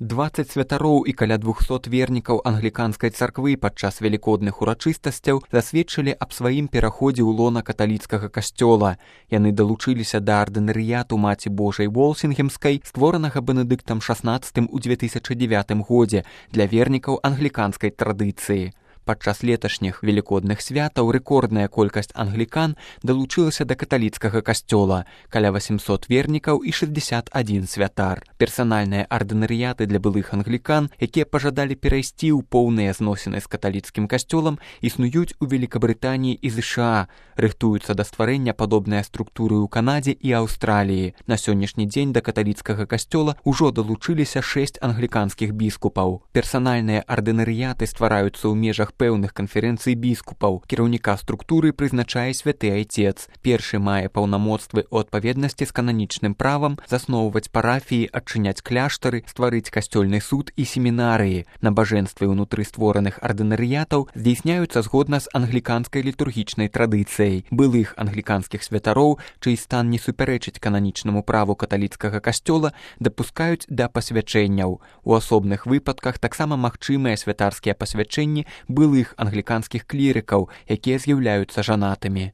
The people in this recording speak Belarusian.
20 святароў і каля 200 вернікаў англіканскай царквы падчас велікодных урачыстасцяў засведчылі аб сваім пераходзе ў лона каталіцкага касцёла. Яны далучыліся да ардынарыяту Маці Божай Волсінгемскай, створанага Бенедыктам XVI у 2009 годзе для вернікаў англіканскай традыцыі. Падчас леташніх велікодных святаў рэкордная колькасць англікан далучылася да каталіцкага касцёла, каля 800 вернікаў і 61 святар. Персанальныя ардынарыяты для былых англікан, якія пажадалі перайсці ў поўныя зносіны з каталіцкім касцёлам, існуюць у Великабрытаніі і ЗША, рыхтуюцца да стварэння падобныя структуры ў Канадзе і Аўстраліі. На сённяшні дзень да каталіцкага касцёла ўжо далучыліся 6 англіканскіх біскупаў. Персанальныя ардынарыяты ствараюцца ў межах пэўных канферэнцый біскупаў. Кіраўніка структуры прызначае святы айцец. Першы мае паўнамоцтвы ў адпаведнасці з кананічным правам засноўваць парафіі, адчыняць кляштары, стварыць касцёльны суд і семінарыі. Набажэнствы ўнутры створаных ардынарыятаў здзейсняюцца згодна з англіканскай літургічнай традыцыяй. Былых англіканскіх святароў, чый стан не супярэчыць кананічнаму праву каталіцкага касцёла, дапускаюць да пасвячэнняў. У асобных выпадках таксама магчымыя святарскія пасвячэнні былых англіканскіх клірыкаў, якія з'яўляюцца жанатымі.